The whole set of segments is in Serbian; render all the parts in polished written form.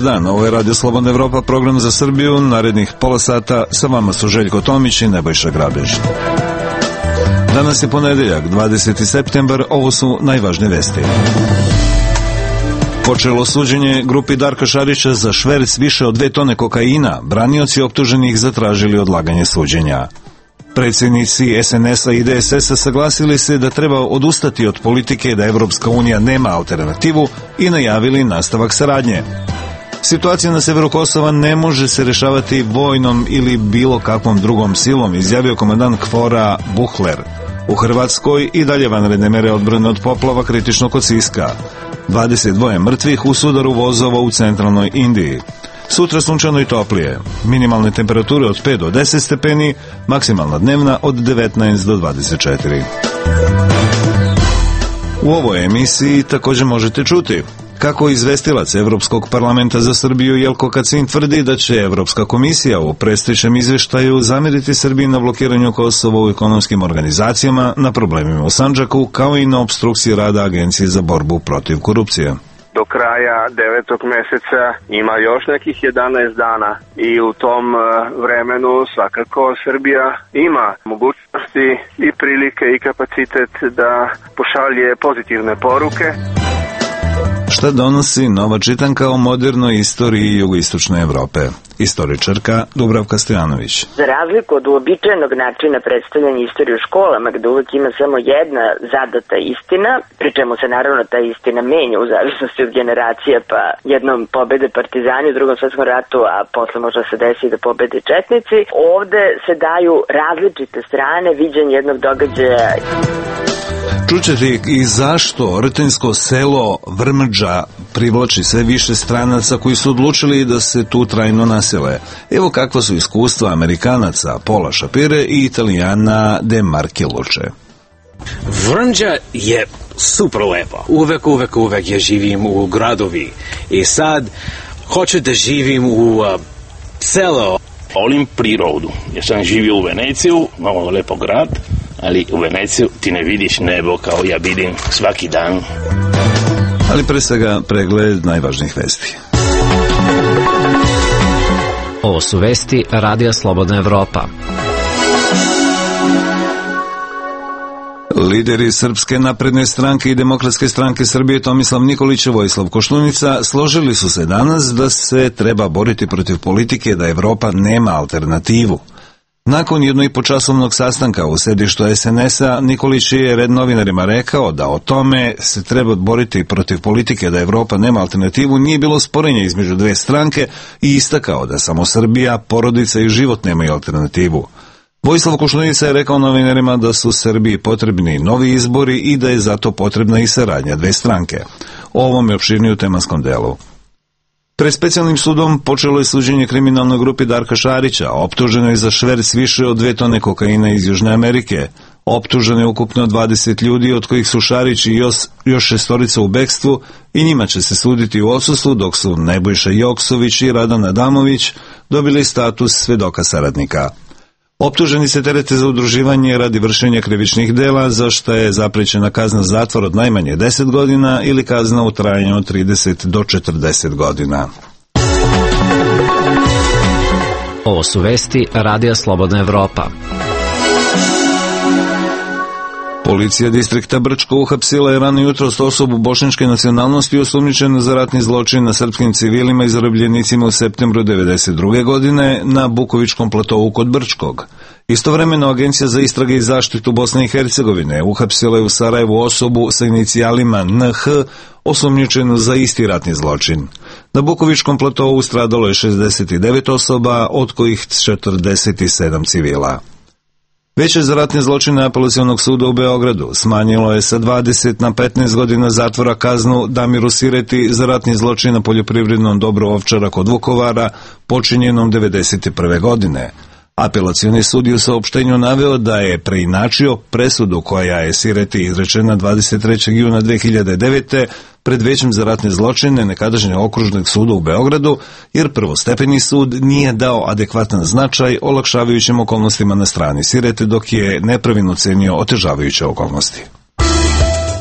Dobar dan, ovo je Radio Slobodna Evropa, program za Srbiju. Narednih pola sata sa vama su Željko Tomić i Nebojša Grabež. Danas je ponedeljak, 20. septembar, ovo su najvažnije vesti. Počelo suđenje grupi Darka Šarića za šverc više od 2 tone kokaina. Branioci optuženih zatražili odlaganje suđenja. Predsjednici SNS-a i DSS-a saglasili se da treba odustati od politike da Evropska unija nema alternativu i najavili nastavak saradnje. Situacija na severu Kosova ne može se rešavati vojnom ili bilo kakvom drugom silom, izjavio komandant KFOR-a Buhler. U Hrvatskoj i dalje vanredne mere odbrane od poplava kritično kod Siska. 22 mrtvih u sudaru vozova u centralnoj Indiji. Sutra sunčano i toplije. Minimalne temperature od 5 do 10 stepeni, maksimalna dnevna od 19 do 24. U ovoj emisiji također možete čuti kako izvestilac Evropskog parlamenta za Srbiju Jelko Kacin tvrdi da će Evropska komisija u predstojećem izveštaju zameriti Srbiji na blokiranju Kosova u ekonomskim organizacijama, na problemima u Sandžaku, kao i na opstrukciji rada Agencije za borbu protiv korupcije. Do kraja 9. meseca ima još nekih 11 dana i u tom vremenu svakako Srbija ima mogućnosti i prilike i kapacitet da pošalje pozitivne poruke. Šta donosi nova čitanka o modernoj istoriji jugoistočne Evrope? Istoričarka Dubravka Stojanović. Za razliku od uobičajenog načina predstavljanja istorije u školama, gde uvek ima samo jedna zadata istina, pri čemu se naravno ta istina menja u zavisnosti od generacija, pa jednom pobede partizani u Drugom svetskom ratu, a posle možda se desi da pobede četnici. Ovde se daju različite strane viđenja jednog događaja. Čućete i zašto Rtenjsko selo Vrmđa privlači sve više stranaca koji su odlučili da se tu trajno nasele. Evo kakva su iskustva Amerikanaca Paula Shapire i Italijana De Marchiluče. Vrmđa je super lepo. Uvek ja živim u gradovi. I sad hoću da živim u selo. Volim prirodu. Ja sam živio u Veneciju, malo lepo grad, ali u Veneciju ti ne vidiš nebo kao ja vidim svaki dan. Ali pre svega pregled najvažnijih vesti. Ovo su vesti Radija Slobodna Evropa. Lideri Srpske napredne stranke i Demokratske stranke Srbije Tomislav Nikolić i Vojislav Koštunica složili su se danas da se treba boriti protiv politike da Evropa nema alternativu. Nakon 1,5-časovnog sastanka u sedištu SNS-a, Nikolić je Red novinarima rekao da o tome se treba boriti protiv politike da Evropa nema alternativu nije bilo sporenja između dve stranke i istakao da samo Srbija, porodica i život nemaju alternativu. Vojislav Koštunica je rekao novinarima da su Srbiji potrebni novi izbori i da je zato potrebna i saradnja dve stranke. O ovom je opširnije u tematskom delu. Pred specijalnim sudom počelo je suđenje kriminalnoj grupi Darka Šarića, optuženo je za šverc više od 2 tone kokaina iz Južne Amerike. Optuženo je ukupno 20 ljudi, od kojih su Šarić i još 6 u bekstvu i njima će se suditi u odsustvu, dok su Nebojša Joksović i Radan Adamović dobili status svedoka saradnika. Optuženi se terete za udruživanje radi vršenja krivičnih dela, za što je zaprećena kazna zatvora od najmanje 10 godina ili kazna u trajanju od 30 do 40 godina. Ovo su vesti Radija Slobodna Evropa. Policija distrikta Brčko uhapsila je rano jutros osobu bošnjačke nacionalnosti osumnjičenu za ratni zločin na srpskim civilima i zarobljenicima u septembru 1992. godine na Bukovičkom platovu kod Brčkog. Istovremeno Agencija za istrage i zaštitu Bosne i Hercegovine uhapsila je u Sarajevu osobu sa inicijalima NH osumnjičenu za isti ratni zločin. Na Bukovičkom platovu stradalo je 69 osoba, od kojih 47 civila. Veće za ratne zločine Apelacionog suda u Beogradu smanjilo je sa 20 na 15 godina zatvora kaznu Damiru Sireti za ratni zločin na poljoprivrednom dobru Ovčara kod Vukovara počinjenom 1991. godine. Apelacioni sud je u saopštenju naveo da je preinačio presudu koja je Sireti izrečena 23. juna 2009. pred Većem za ratne zločine nekadašnjeg okružnog suda u Beogradu, jer prvostepeni sud nije dao adekvatan značaj olakšavajućim okolnostima na strani Sirete, dok je nepravilno cenio otežavajuće okolnosti.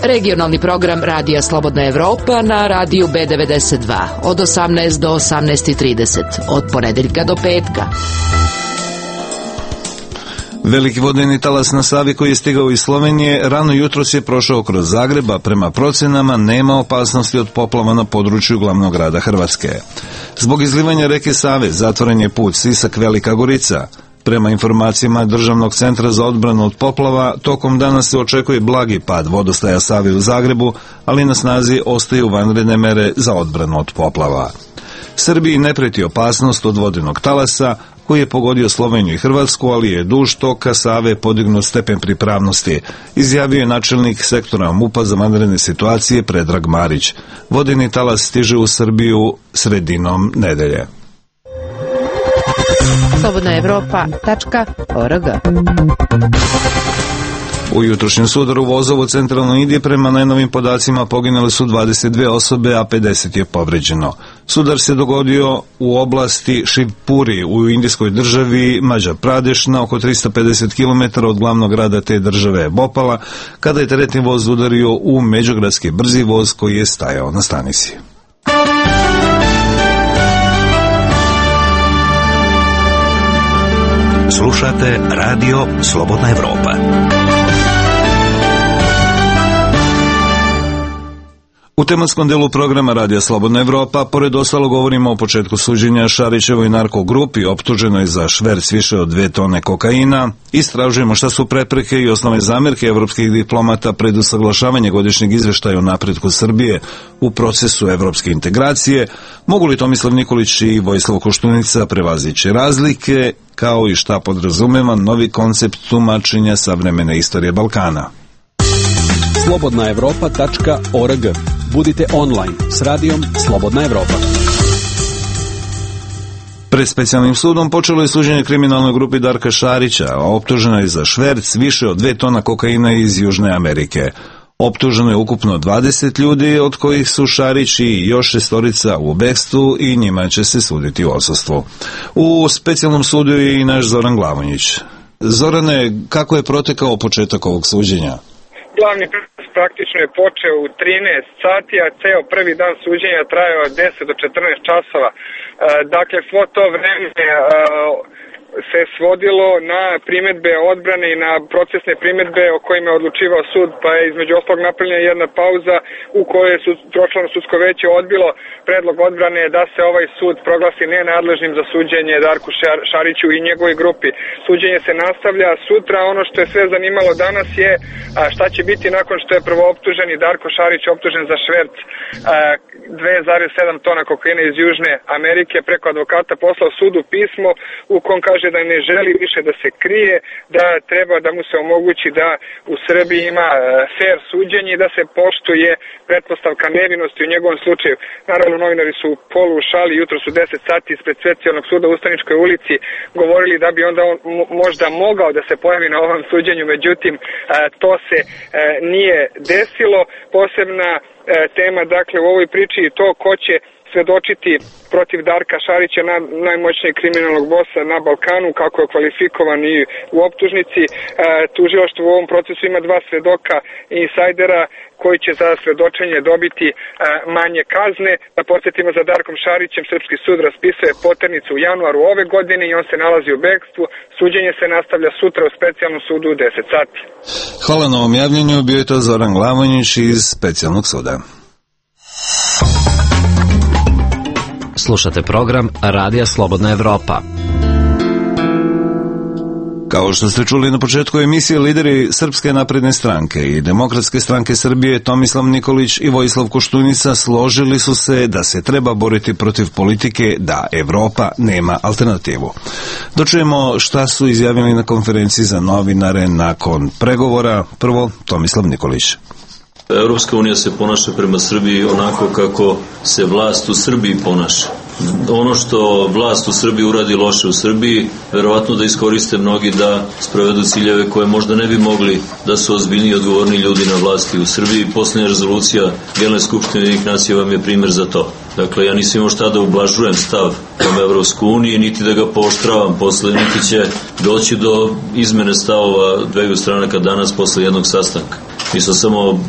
Regionalni program Radija Slobodna Evropa na radiju B92 od 18 do 18:30 od ponedeljka do petka. Veliki vodeni talas na Savi koji je stigao iz Slovenije rano jutros je prošao kroz Zagreb, a prema procenama nema opasnosti od poplava na području glavnog grada Hrvatske. Zbog izlivanja reke Save zatvoren je put Sisak-Velika Gorica. Prema informacijama Državnog centra za odbranu od poplava, tokom dana se očekuje blagi pad vodostaja Save u Zagrebu, ali na snazi ostaju vanredne mere za odbranu od poplava. Srbiji ne preti opasnost od vodenog talasa koji je pogodio Sloveniju i Hrvatsku, ali je duž toka Save podignut stepen pripravnosti, izjavio je načelnik sektora MUP-a za vanredne situacije Predrag Marić. Vodeni talas stiže u Srbiju sredinom nedelje. slobodnaevropa.org. U jutrošnjem sudaru vozova u centralnoj Indiji prema najnovim podacima poginule su 22 osobe, a 50 je povređeno. Sudar se dogodio u oblasti Shivpuri u indijskoj državi Madhya Pradesh na oko 350 km od glavnog grada te države Bhopala, kada je teretni voz udario u međugradski brzi voz koji je stajao na stanici. Slušate Radio Slobodna Evropa. U tematskom delu programa Radija Slobodna Evropa, pored ostalo govorimo o početku suđenja Šarićevoj narkogrupi optuženoj za šverc više od 2 tone kokaina, istražujemo šta su prepreke i osnovne zamerke evropskih diplomata pred usaglašavanje godišnjeg izveštaja o napretku Srbije u procesu evropske integracije, mogu li Tomislav Nikolić i Vojislav Koštunica prevazići razlike, kao i šta podrazumeva novi koncept tumačenja savremene istorije Balkana. slobodnaevropa.org. Budite online s radijom Slobodna Evropa. Pred specijalnim sudom počelo je suđenje kriminalnoj grupi Darka Šarića, a optužena je za šverc više od 2 tona kokaina iz Južne Amerike. Optuženo je ukupno 20 ljudi, od kojih su Šarić i još 6 u bekstvu i njima će se suditi u odsustvu. U specijalnom sudu je i naš Zoran Glavonjić. Zorane, kako je protekao početak ovog suđenja? Glavni proces praktično je počeo u 13 sati, a ceo prvi dan suđenja trajao od 10 do 14 časova. Dakle, svo to vreme se svodilo na primedbe odbrane i na procesne primedbe o kojima je odlučivao sud, pa je između ostalog napravljena jedna pauza u kojoj je tročlano sudsko veće odbilo predlog odbrane da se ovaj sud proglasi nenadležnim za suđenje Darku Šariću i njegovoj grupi. Suđenje se nastavlja sutra. Ono što je sve zanimalo danas je šta će biti nakon što je prvooptuženi Darko Šarić optužen za šverc 2,7 tona kokaina iz Južne Amerike, preko advokata poslao sudu pismo u kom kaže da ne želi više da se krije, da treba da mu se omogući da u Srbiji ima fair suđenje i da se poštuje pretpostavka nevinosti u njegovom slučaju. Naravno, novinari su polu u šali, jutro su 10 sati ispred specijalnog suda u Ustaničkoj ulici govorili da bi onda on možda mogao da se pojavi na ovom suđenju, međutim to se nije desilo. Posebna tema, dakle, u ovoj priči je to ko će svedočiti protiv Darka Šarića, najmoćnijeg kriminalnog bosa na Balkanu, kako je kvalifikovan i u optužnici. Tužilaštvo u ovom procesu ima 2 svedoka insajdera koji će za svedočenje dobiti manje kazne. Da podsjetimo, za Darkom Šarićem Srpski sud raspisuje poternicu u januaru ove godine i on se nalazi u bekstvu. Suđenje se nastavlja sutra u specijalnom sudu u 10 sati. Hvala na ovom javljenju, bio je to Zoran Glavonjić iz specijalnog suda. Slušate program Radija Slobodna Evropa. Kao što ste čuli na početku emisije, lideri Srpske napredne stranke i Demokratske stranke Srbije Tomislav Nikolić i Vojislav Koštunica složili su se da se treba boriti protiv politike da Evropa nema alternativu. Dočujemo šta su izjavili na konferenciji za novinare nakon pregovora. Prvo, Tomislav Nikolić. Evropska unija se ponaša prema Srbiji onako kako se vlast u Srbiji ponaša. Ono što vlast u Srbiji uradi loše u Srbiji, verovatno da iskoriste mnogi da sprovedu ciljeve koje možda ne bi mogli da su ozbiljni i odgovorni ljudi na vlasti u Srbiji. Poslednja rezolucija Generalne skupštine Ujedinjenih nacija vam je primer za to. Dakle, ja nisam imao šta da ublažujem stav prema Evropskoj uniji, niti da ga pooštravam posle, niti će doći do izmene stavova dveju stranaka danas posle jednog sastanka. Mi smo samo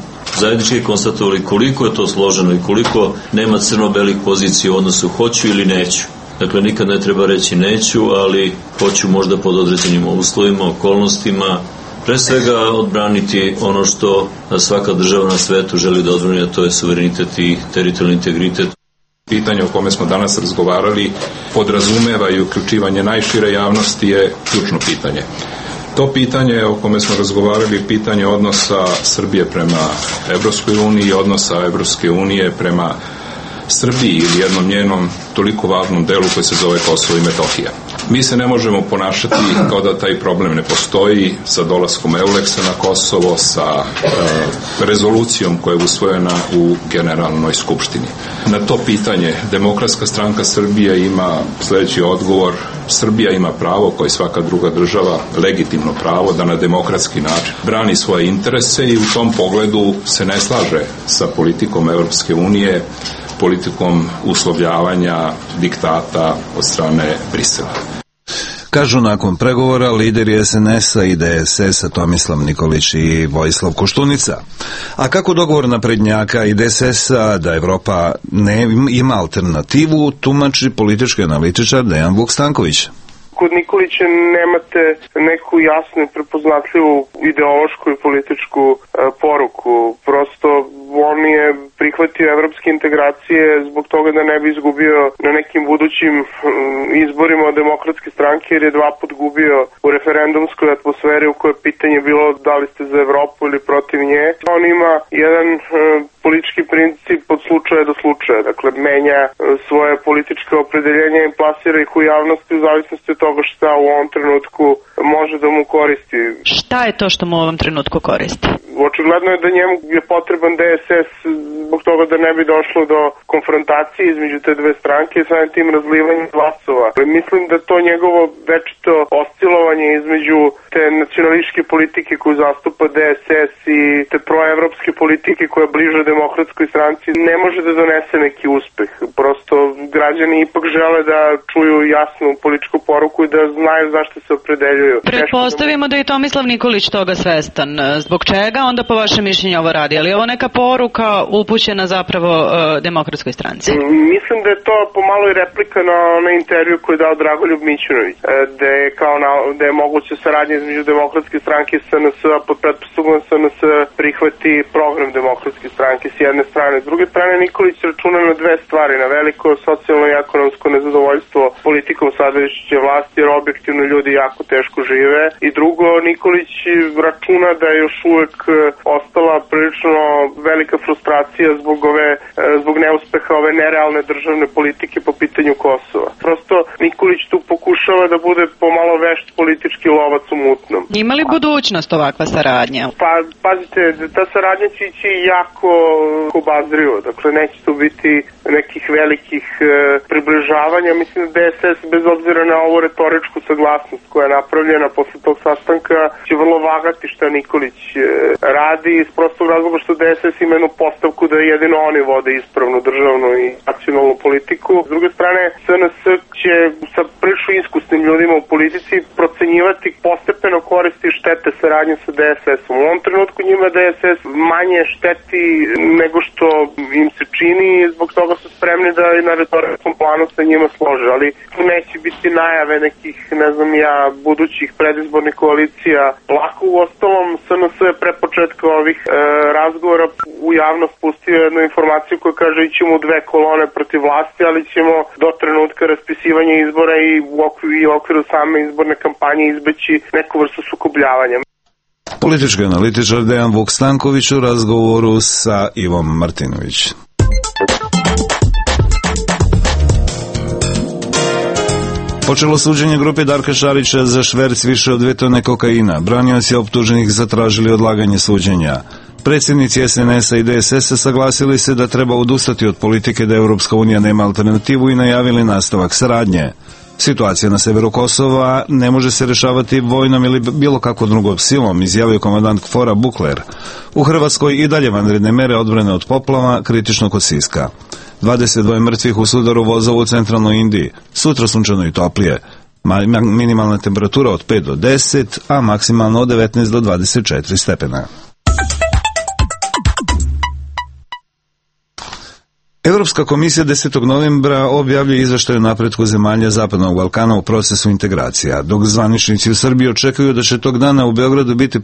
zajednički konstatovali koliko je to složeno i koliko nema crno-belih pozicija u odnosu hoću ili neću. Dakle, nikad ne treba reći neću, ali hoću možda pod određenim uslovima, okolnostima, pre svega odbraniti ono što svaka država na svetu želi da odbrani, a to je suverenitet i teritorijalni integritet. Pitanje o kome smo danas razgovarali podrazumeva i uključivanje najšire javnosti je ključno pitanje. To pitanje o kome smo razgovarali je pitanje odnosa Srbije prema Evropskoj uniji i odnosa Evropske unije prema Srbiji ili jednom njenom toliko važnom delu koji se zove Kosovo i Metohija. Mi se ne možemo ponašati kao da taj problem ne postoji sa dolaskom Euleksa na Kosovo, sa rezolucijom koja je usvojena u Generalnoj skupštini. Na to pitanje Demokratska stranka Srbije ima sledeći odgovor. Srbija ima pravo, kao i svaka druga država, legitimno pravo da na demokratski način brani svoje interese i u tom pogledu se ne slaže sa politikom Evropske unije, politikom uslovljavanja diktata od strane Brisela. Kažu nakon pregovora lideri SNS-a i DSS-a Tomislav Nikolić i Vojislav Koštunica. A kako dogovor naprednjaka i DSS-a da Evropa ne ima alternativu, tumači politički analitičar Dejan Vuk-Stanković. Kod Nikolića nemate neku jasnu i prepoznatljivu ideološku i političku poruku. Prosto on je prihvatio evropske integracije zbog toga da ne bi izgubio na nekim budućim izborima od Demokratske stranke, jer je 2 put gubio u referendumskoj atmosferi u kojoj pitanje bilo da li ste za Evropu ili protiv nje. On ima jedan politički princip od slučaja do slučaja, dakle menja svoje političke opredeljenja i plasira ih u javnosti u zavisnosti od toga šta u ovom trenutku može da mu koristi. Šta je to što mu u ovom trenutku koristi? Očigledno je da njemu je potreban DSS zbog toga da ne bi došlo do konfrontacije između te dve stranke i samim tim razlivanjem glasova. Mislim da to njegovo večito oscilovanje između te nacionalističke politike koju zastupa DSS i te proevropske politike koja bliže Demokratskoj stranci ne može da donese neki uspeh. Prosto građani ipak žele da čuju jasnu političku poruku i da znaju zašto se opredeljuju. Pretpostavimo da je Tomislav Nikolić toga svestan. Zbog čega onda po vašem mišljenju ovo radi? Ali je ovo neka poruka upućena zapravo Demokratskoj stranci? Mislim da je to pomalo i replika na onaj intervju koji je dao Dragoljub Mićunović, da je moguće saradnje između Demokratske stranke i SNS, a pod pretpostavkom SNS prihvati program Demokratske stranke s jedne strane. S druge strane, Nikolić računa na 2 stvari, na veliko socijalno i ekonomsko nezadovoljstvo politikom sadašnje vlasti, jer objektivno ljudi jako teško žive. I drugo, Nikolić računa da je još uvek ostala prilično velika frustracija zbog neuspeha ove nerealne državne politike po pitanju Kosova. Prosto Nikolić tu pokušava da bude pomalo vešt politički lovac u mutnom. Ima li budućnost ovakva saradnja? Pa, pazite, ta saradnja će ići jako obazrivo. Dakle, neće tu biti nekih velikih približavanja. Mislim da DSS, bez obzira na ovu retoričku saglasnost koja je napravljena posle tog sastanka, će vrlo vagati šta Nikolić radi iz prostog razloga što DSS ima jednu postavku da jedino oni vode ispravnu državnu i nacionalnu politiku. S druge strane, SNS će sa prilično iskusnim ljudima u politici procenjivati postepeno koristi i štete saradnje sa DSS-om. U ovom trenutku njima DSS manje šteti nego što im se čini i zbog toga su spremni da i na retoričkom planu sa njima slože, ali tu neće biti najave nekih, ne znam ja, budućih predizbornih koalicija. Lako u ostalom SNS je pre početka ovih razgovora u javnost pustio jednu informaciju koja kaže ićemo u 2 kolone protiv vlasti, ali ćemo do trenutka raspisivanja izbora i u okviru same izborne kampanje izbeći neku vrstu sukobljavanja. Politički analitičar Dejan Vuk-Stanković u razgovoru sa Ivom Martinović. Počelo suđenje grupe Darka Šarića za šverc više od 2 tone kokaina. Branioci optuženih zatražili odlaganje suđenja. Predsjednici SNS-a i DSS-a saglasili se da treba odustati od politike da Europska unija nema alternativu i najavili nastavak saradnje. Situacija na severu Kosova ne može se rešavati vojnom ili bilo kakvom drugom silom, izjavio komandant KFOR-a Bukler. U Hrvatskoj i dalje vanredne mere odbrane od poplava, kritično kod Siska. 22 mrtvih u sudaru vozova u centralnoj Indiji. Sutra sunčano i toplije. Minimalna temperatura od 5 do 10, a maksimalno od 19 do 24 stepena. Europska komisija 10. novembra objavljuje izveštaj o napretku zemalja Zapadnog Balkana u procesu integracija, dok zvaničnici u Srbiji očekuju da će tog dana u Beogradu biti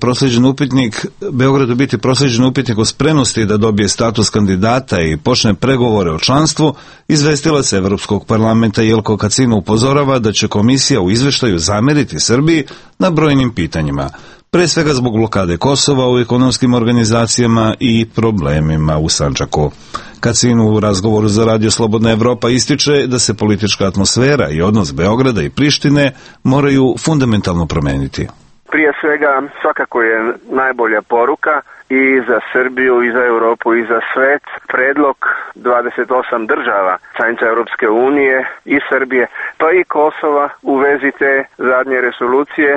proslijeđen upitnik o spremnosti da dobije status kandidata i počne pregovore o članstvu. Izvestilac Evropskog parlamenta Jelko Kacin upozorava da će komisija u izveštaju zameriti Srbiji na brojnim pitanjima, pre svega zbog blokade Kosova u ekonomskim organizacijama i problemima u Sandžaku. Kacin u razgovoru za Radio Slobodna Evropa ističe da se politička atmosfera i odnos Beograda i Prištine moraju fundamentalno promeniti. Prije svega svakako je najbolja poruka i za Srbiju, i za Europu, i za svet predlog 28 država članica Europske unije i Srbije, pa i Kosova u vezi te zadnje resolucije,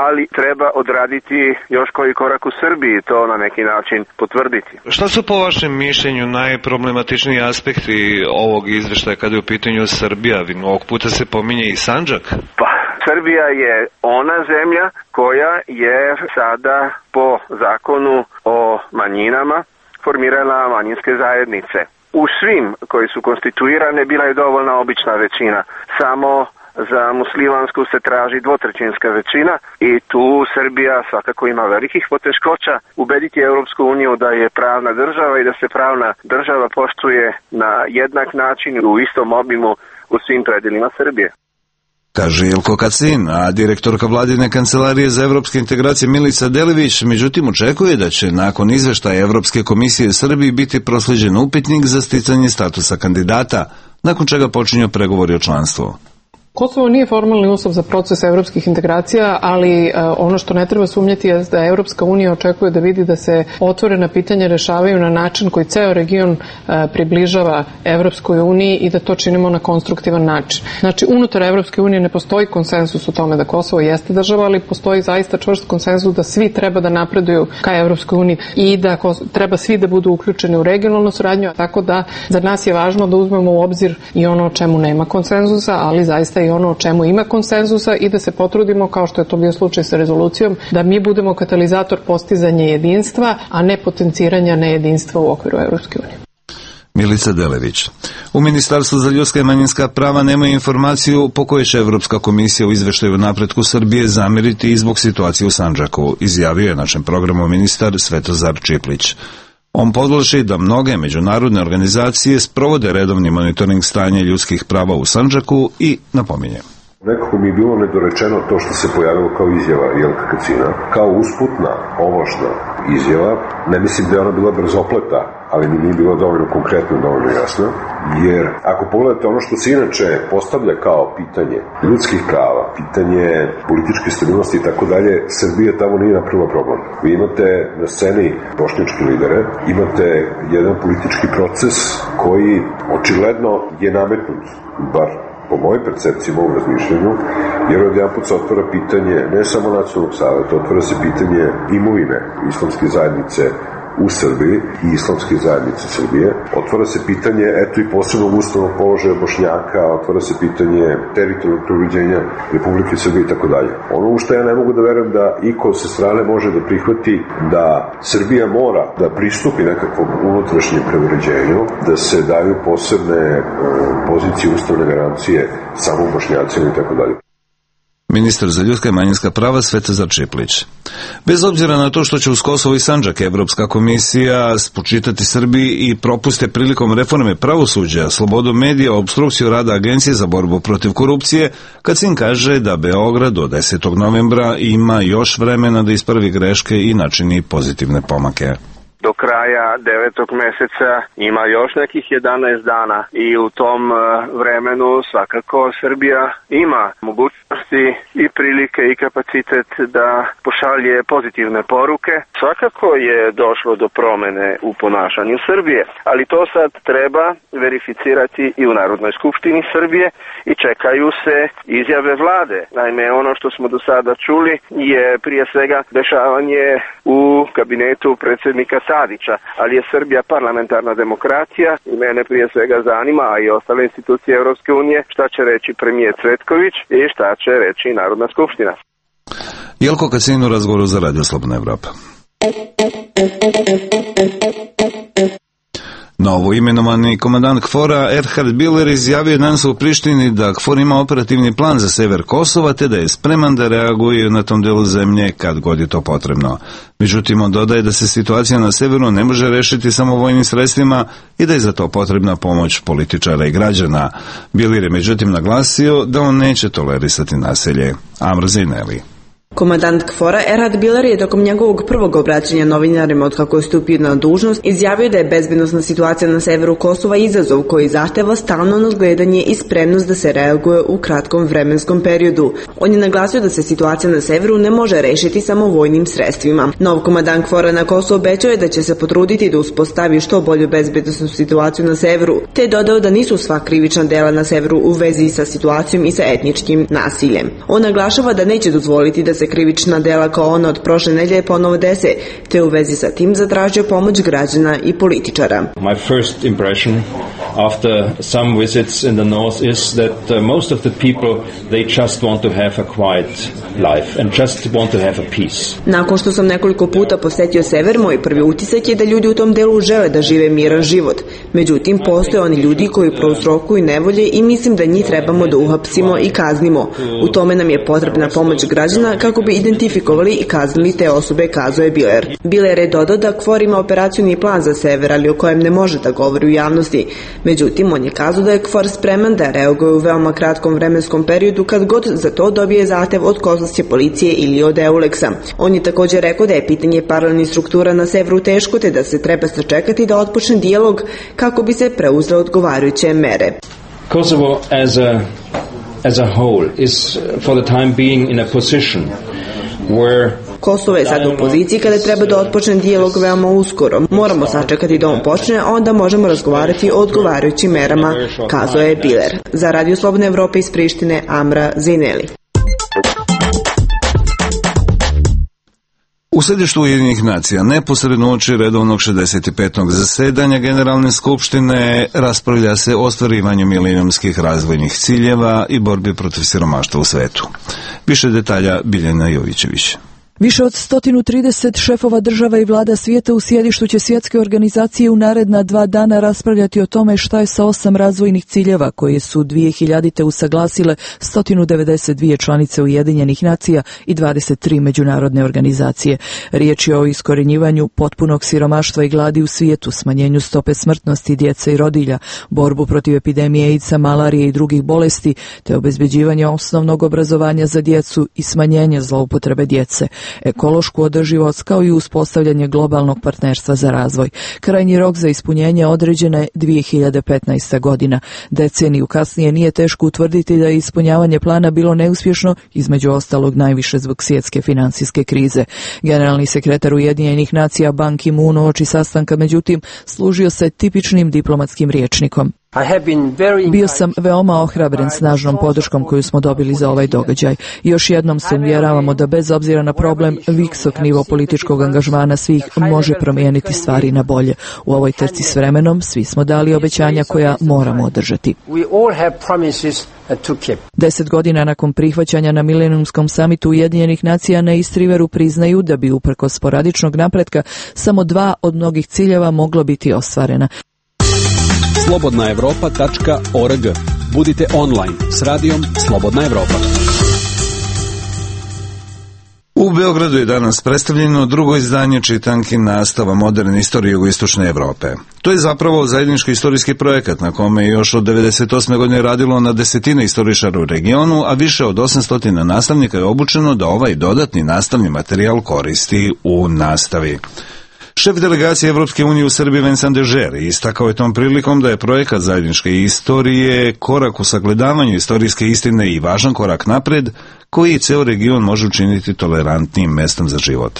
ali treba odraditi još koji korak u Srbiji, to na neki način potvrditi. Šta su po vašem mišljenju najproblematičniji aspekti ovog izveštaja kada je u pitanju Srbija? Ovog puta se pominje i Sandžak. Pa, Srbija je ona zemlja koja je sada po zakonu o manjinama formirala manjinske zajednice. U svim koji su konstituirane bila je dovoljna obična većina, samo za muslimansku se traži dvotrećinska većina i tu Srbija svakako ima velikih poteškoća ubediti Europsku uniju da je pravna država i da se pravna država poštuje na jednak način u istom obimu u svim predelima Srbije. Kaže Jelko Kacin, a direktorka vladine kancelarije za evropske integracije Milica Delević međutim očekuje da će nakon izveštaja Evropske komisije Srbiji biti proslijeđen upitnik za sticanje statusa kandidata, nakon čega počinju pregovori o članstvu. Kosovo nije formalni uslov za proces evropskih integracija, ali ono što ne treba sumnjati je da Evropska unija očekuje da vidi da se otvorena pitanja rešavaju na način koji ceo region približava Evropskoj uniji i da to činimo na konstruktivan način. Znači, unutar Evropske unije ne postoji konsenzus u tome da Kosovo jeste država, ali postoji zaista čvrst konsenzus da svi treba da napreduju ka Evropskoj uniji i da treba svi da budu uključeni u regionalnu saradnju, tako da za nas je važno da uzmemo u obzir i ono o čemu nema konsenzusa, ali zaista i ono o čemu ima konsenzusa i da se potrudimo, kao što je to bio slučaj sa rezolucijom, da mi budemo katalizator postizanja jedinstva, a ne potenciranja nejedinstva u okviru Evropske unije. Milica Delević. U Ministarstvu za ljudska i manjinska prava nema informaciju po kojoj će Evropska komisija u izveštaju o napretku Srbije zameriti i zbog situacije u Sandžaku, izjavio je našem programu ministar Svetozar Čiplić. On podvlači da mnoge međunarodne organizacije sprovode redovni monitoring stanja ljudskih prava u Sandžaku i napominje. Nekako mi je bilo nedorečeno to što se pojavilo kao izjava Jelka Kacina, kao usputna, ovlašna izjava. Ne mislim da je ona bila brzopleta, ali mi nije bilo dovoljno konkretno, dovoljno jasno, jer ako pogledate ono što se inače postavlja kao pitanje ljudskih prava, pitanje političke stabilnosti i tako dalje, Srbija tamo nije napravila problem. Vi imate na sceni bošnjačke lidere, imate jedan politički proces koji očigledno je nametnut, bar po mojoj percepciji, mojom razmišljanju, jer odjedanput se otvara pitanje ne samo nacionalnog saveta, otvara se pitanje imovine islamske zajednice u Srbiji i islamske zajednice Srbije. Otvara se pitanje, eto i posebnog ustavnog položaja Bošnjaka, otvara se pitanje teritorijalnog uređenja Republike Srbije i tako dalje. Ono u što ja ne mogu da verujem da iko sa strane može da prihvati da Srbija mora da pristupi nekakvom unutrašnjem preuređenju, da se daju posebne pozicije ustavne garancije samo Bošnjacima i tako dalje. Ministar za ljudska i manjinska prava Svetozar Čiplić. Bez obzira na to što će uz Kosovo i Sandžak Evropska komisija spočitati Srbiji i propuste prilikom reforme pravosuđa, slobodom medija, obstrukciju rada Agencije za borbu protiv korupcije, Kacin kaže da Beograd do 10. novembra ima još vremena da ispravi greške i načini pozitivne pomake. Do kraja 9. meseca ima još nekih 11 dana i u tom vremenu svakako Srbija ima mogućnosti i prilike i kapacitet da pošalje pozitivne poruke. Svakako je došlo do promene u ponašanju Srbije, ali to sad treba verificirati i u Narodnoj skupštini Srbije i čekaju se izjave vlade. Naime, ono što smo do sada čuli je prije svega dešavanje u kabinetu predsjednika Tadića, ali je Srbija parlamentarna demokracija i mene prije svega zanima, a i ostale institucije Europske unije, šta će reći premijer Cvetković i šta će reći Narodna skupština. Jelko Kacin u razgovoru za Radio Slobodna Evropa. Novo imenovani komandant KFOR-a Erhard Biller izjavio je danas u Prištini da KFOR ima operativni plan za sever Kosova te da je spreman da reaguje na tom delu zemlje kad god je to potrebno. Međutim, on dodaje da se situacija na severu ne može rešiti samo vojnim sredstvima i da je za to potrebna pomoć političara i građana. Biller je međutim naglasio da on neće tolerisati nasilje. Amra Zineli. Komandant KFOR-a Erhard Biller je tokom njegovog prvog obraćanja novinarima od kako je stupio na dužnost izjavio da je bezbednosna situacija na severu Kosova izazov koji zahteva stalno nadgledanje i spremnost da se reaguje u kratkom vremenskom periodu. On je naglasio da se situacija na severu ne može rešiti samo vojnim sredstvima. Nov komandant KFOR-a na Kosovu obećao je da će se potruditi da uspostavi što bolju bezbednosnu situaciju na severu, te je dodao da nisu sva krivična dela na severu u vezi sa situacijom i sa etničkim nasiljem. On naglašava da neće dozvoliti da se krivična dela kao ona od prošle nedelje ponovo dese, te u vezi sa tim zatražio pomoć građana i političara. My first impression after some visits in the north is that most of the people they just want to have a quiet life and just want to have a peace. Nakon što sam nekoliko puta posetio sever, moj prvi utisak je da ljudi u tom delu žele da žive miran život. Međutim, postoje oni ljudi koji prouzrokuju nevolje i mislim da njih trebamo da uhapsimo i kaznimo. U tome nam je potrebna pomoć građana kako bi identifikovali i kaznili te osobe, kazao je Biller. Biller je dodao da KFOR ima operacioni plan za sever, ali o kojem ne može da govori u javnosti. Međutim, on je kazao da je KFOR spreman da reaguje u veoma kratkom vremenskom periodu kad god za to dobije zahtev od kosovske policije ili od EULEX-a. On je također rekao da je pitanje paralelnih struktura na severu teško, te da se treba sačekati da otpočne dijalog kako bi se preuzele odgovarajuće mere. Kosovo as a whole is for the time being in a position where Kosovo je sad u poziciji kada treba da otpočne dijalog veoma uskoro. Moramo sačekati da on počne, a onda možemo razgovarati o odgovarajućim merama, kazao je Biller. Za Radio Slobodne Evrope iz Prištine, Amra Zineli. U središtu Ujedinjenih nacija, neposredno uoči redovnog 65. zasedanja Generalne skupštine, raspravlja se o ostvarivanju milenijumskih razvojnih ciljeva i borbi protiv siromaštva u svetu. Više detalja Biljana Jovićević. Više od 130 šefova država i vlada svijeta u sjedištu će svjetske organizacije u naredna 2 dana raspravljati o tome šta je sa 8 razvojnih ciljeva koje su 2000. usaglasile 192 članice Ujedinjenih nacija i 23 međunarodne organizacije. Riječ je o iskorjenjivanju potpunog siromaštva i gladi u svijetu, smanjenju stope smrtnosti djece i rodilja, borbu protiv epidemije AIDS-a, malarije i drugih bolesti, te obezbeđivanje osnovnog obrazovanja za djecu i smanjenje zloupotrebe djece, ekološku održivost kao i uspostavljanje globalnog partnerstva za razvoj. Krajnji rok za ispunjenje određena je 2015. godina. Deceniju kasnije nije teško utvrditi da je ispunjavanje plana bilo neuspješno, između ostalog najviše zbog svjetske financijske krize. Generalni sekretar Ujedinjenih nacija Ban Ki-moon uoči sastanka međutim služio se tipičnim diplomatskim rječnikom. Bio sam veoma ohrabren snažnom podrškom koju smo dobili za ovaj događaj. Još jednom se uvjeravamo da bez obzira na problem, visok nivo političkog angažmana svih može promijeniti stvari na bolje. U ovoj trci s vremenom svi smo dali obećanja koja moramo održati. 10 godina nakon prihvaćanja na milenijumskom samitu Ujedinjenih nacija na East Riveru priznaju da bi uprkos sporadičnog napretka samo 2 od mnogih ciljeva moglo biti ostvarena. slobodnaevropa.org. Budite online s radijom Slobodna Evropa. U Beogradu je danas predstavljeno drugo izdanje čitanki nastava moderne istorije jugoistočne Evrope. To je zapravo zajednički istorijski projekat na kome je još od 1998. godine radilo na desetine istoričara u regionu, a više od 800 nastavnika je obučeno da ovaj dodatni nastavni materijal koristi u nastavi. Šef delegacije Evropske unije u Srbiji Vincent Dežer istakao je tom prilikom da je projekat zajedničke istorije korak u sagledavanju istorijske istine i važan korak napred koji ceo region može učiniti tolerantnim mestom za život.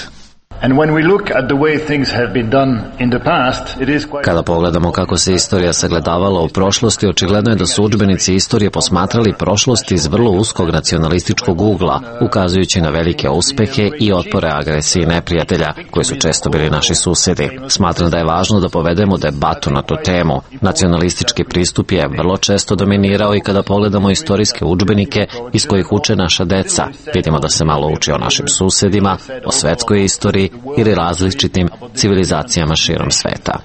Kada pogledamo kako se istorija sagledavala u prošlosti, očigledno je da su udžbenici istorije posmatrali prošlost iz vrlo uskog nacionalističkog ugla, ukazujući na velike uspehe i otpore agresiji neprijatelja, koji su često bili naši susedi. Smatram da je važno da povedemo debatu na tu temu. Nacionalistički pristup je vrlo često dominirao i kada pogledamo istorijske udžbenike iz kojih uče naša deca, vidimo da se malo uči o našim susedima, o svetskoj istoriji ili različitim civilizacijama širom sveta.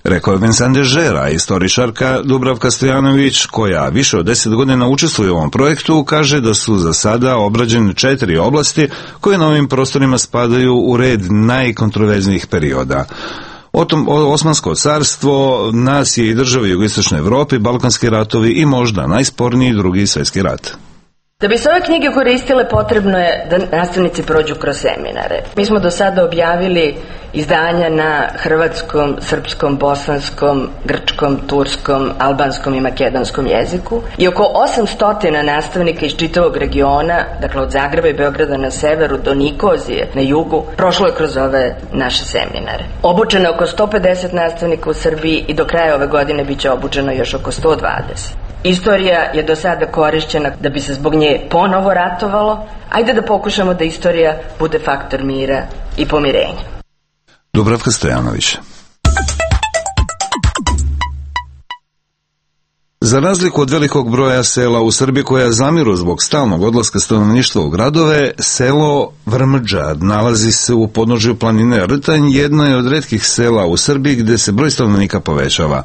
Rekao je Vincent Dežera, istoričarka Dubravka Stojanović, koja više od 10 godina učestvuje u ovom projektu, kaže da su za sada obrađene 4 oblasti koje na ovim prostorima spadaju u red najkontroverznijih perioda. Osmansko carstvo, nacije i države jugoistočne Evrope, balkanski ratovi i možda najsporniji Drugi svjetski rat. Da bi se ove knjige koristile, potrebno je da nastavnici prođu kroz seminare. Mi smo do sada objavili izdanja na hrvatskom, srpskom, bosanskom, grčkom, turskom, albanskom i makedonskom jeziku i oko 800 nastavnika iz čitavog regiona, dakle od Zagreba i Beograda na severu do Nikozije na jugu, prošlo je kroz ove naše seminare. Obučeno je oko 150 nastavnika u Srbiji i do kraja ove godine biće obučeno još oko 120. Istorija je do sada korišćena da bi se zbog nje ponovo ratovalo. Ajde da pokušamo da istorija bude faktor mira i pomirenja. Dubravka Stojanović. Za razliku od velikog broja sela u Srbiji koja zamiru zbog stalnog odlaska stanovništva u gradove, selo Vrmđa nalazi se u podnožju planine Rtanj, jedno je od retkih sela u Srbiji gde se broj stanovnika povećava.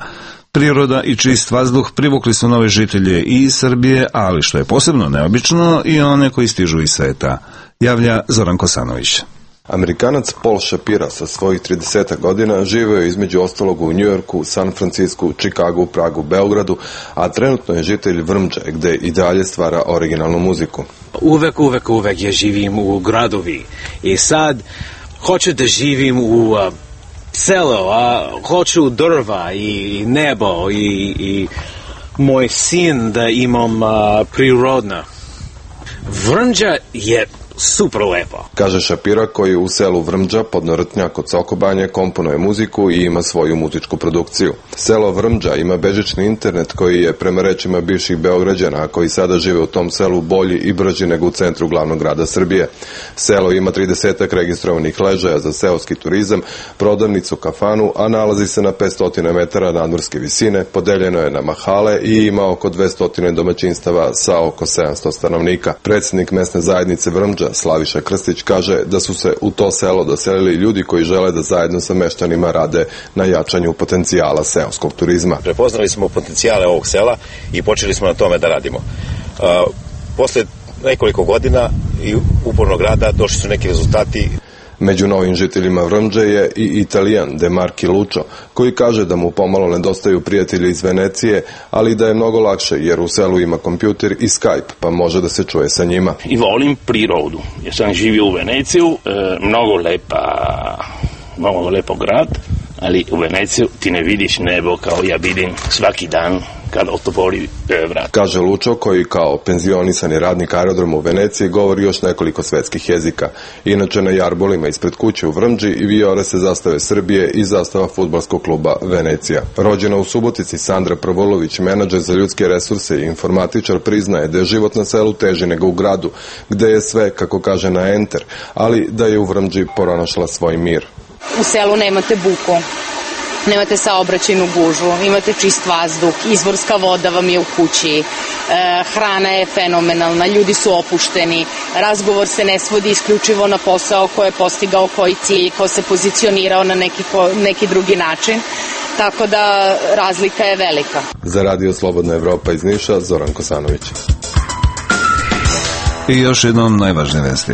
Priroda i čist vazduh privukli su nove žitelje i iz Srbije, ali što je posebno neobično, i one koji stižu iz sveta, javlja Zoran Kosanović. Amerikanac Paul Shapira sa svojih 30 godina živeo je između ostalog u Njujorku, San Francisku, Čikagu, Pragu, Beogradu, a trenutno je žitelj Vrmđe, gde i dalje stvara originalnu muziku. Uvek ja živim u gradovi i sad hoću da živim u selo, a hoću drva i nebo i moj sin da imam prirodna. Vrmđa je super lepo. Kaže Shapira, koji u selu Vrmđa pod Rtnja kod Sokobanje komponuje muziku i ima svoju muzičku produkciju. Selo Vrmđa ima bežični internet koji je, prema rečima bivših Beograđana, koji sada žive u tom selu, bolji i brži nego u centru glavnog grada Srbije. Selo ima 30 registrovanih ležaja za seoski turizam, prodavnicu, kafanu, a nalazi se na 500 metara nadmorske visine, podeljeno je na mahale i ima oko 200 domaćinstava sa oko 700 stanovnika. Predsjednik mesne zajednice Vrmđa, Slaviša Krstić, kaže da su se u to selo doselili ljudi koji žele da zajedno sa meštanima rade na jačanju potencijala seoskog turizma. Prepoznali smo potencijale ovog sela i počeli smo na tome da radimo. Posle nekoliko godina i upornog rada došli su neki rezultati. Među novim žiteljima Vrmđe je i Italijan De Marchi Lucio, koji kaže da mu pomalo nedostaju prijatelji iz Venecije, ali da je mnogo lakše jer u selu ima kompjuter i Skype, pa može da se čuje sa njima. I volim prirodu. Ja sam živio u Veneciju, mnogo lepo grad, ali u Veneciju ti ne vidiš nebo kao ja vidim svaki dan kad otvori vrat. Kaže Lučo, koji kao penzionisani radnik aerodroma u Veneciji govori još nekoliko svetskih jezika. Inače na jarbolima ispred kuće u Vrmđi i vijore se zastave Srbije i zastava fudbalskog kluba Venecija. Rođena u Subotici, Sandra Prvolulović, menadžer za ljudske resurse i informatičar, priznaje da je život na selu teži nego u gradu, gde je sve, kako kaže, na enter, ali da je u Vrmđi pronašla svoj mir. U selu nemate buku, nemate saobraćajnu gužvu, imate čist vazduh, izvorska voda vam je u kući, hrana je fenomenalna, ljudi su opušteni, razgovor se ne svodi isključivo na posao ko je postigao koji cilj, ko se pozicionirao na neki drugi način, tako da razlika je velika. Za Radio Slobodna Evropa iz Niša, Zoran Kosanović. I još jednom najvažnije vesti.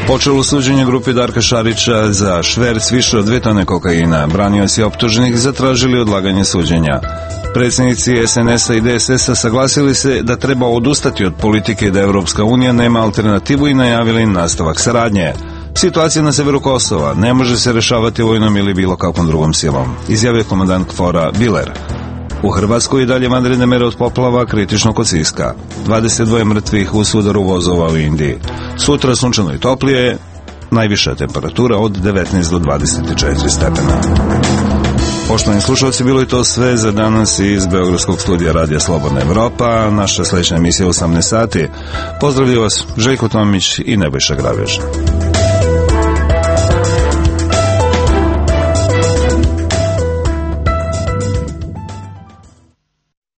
Počelo suđenje grupi Darka Šarića za šverc više od 2 tone kokaina. Branioci optuženih zatražili odlaganje suđenja. Predsjednici SNS-a i DSS-a saglasili se da treba odustati od politike da Evropska unija nema alternativu i najavili nastavak saradnje. Situacija na severu Kosova ne može se rešavati vojnom ili bilo kakvom drugom silom, izjavio komandant KFOR-a Biler. U Hrvatskoj i dalje vanredne mere od poplava, kritično kod Siska. 22 mrtvih u sudaru vozova u Indiji. Sutra sunčano i toplije, najviša temperatura od 19 do 24 stepena. Poštovani slušalci, bilo je to sve za danas iz Beogradskog studija Radija Slobodna Evropa. Naša sledeća emisija u 18 sati. Pozdravljaju vas Željko Tomić i Nebojša Grabež.